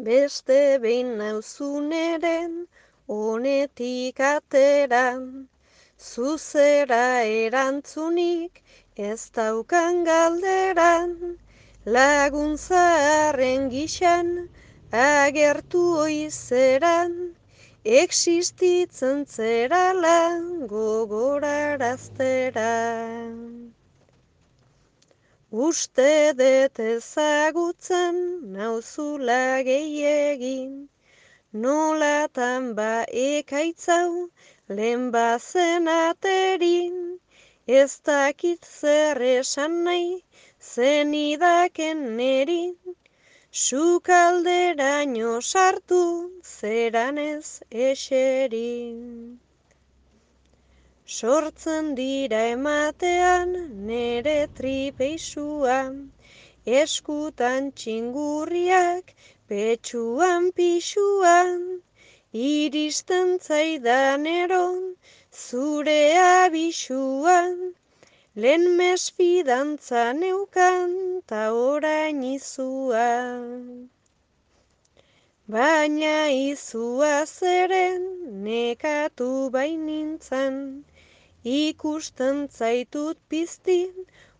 Beste behin nauzuneren honetik ateran, zuzera erantzunik ez daukan galderan, laguntzaren gixan agertu oizeran, existitzen zerala gogorarazteran. Uste dut ezagutzen nauzula gehiegin, nolatan ba ekaitzau lehen bazen aterin, ez dakit zer esan nahi zenidaken nerin, sukalderaino sartu zeran ez eserin. Sortzen dira ematean nere tripeixuan, eskutan txingurriak, petxuan pixuan, iristen zaidan eron, zure abisuan, lehen mesfidantza neukan, ta orain izuan. Baina izua zeren nekatu bainintzan, ikusten zaitut piztin,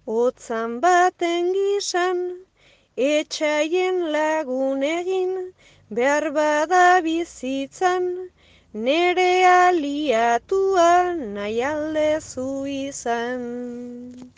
otzan baten gisan, etxaien lagun egin, behar bada bizitzan, nere aliatua nahi aldezu izan.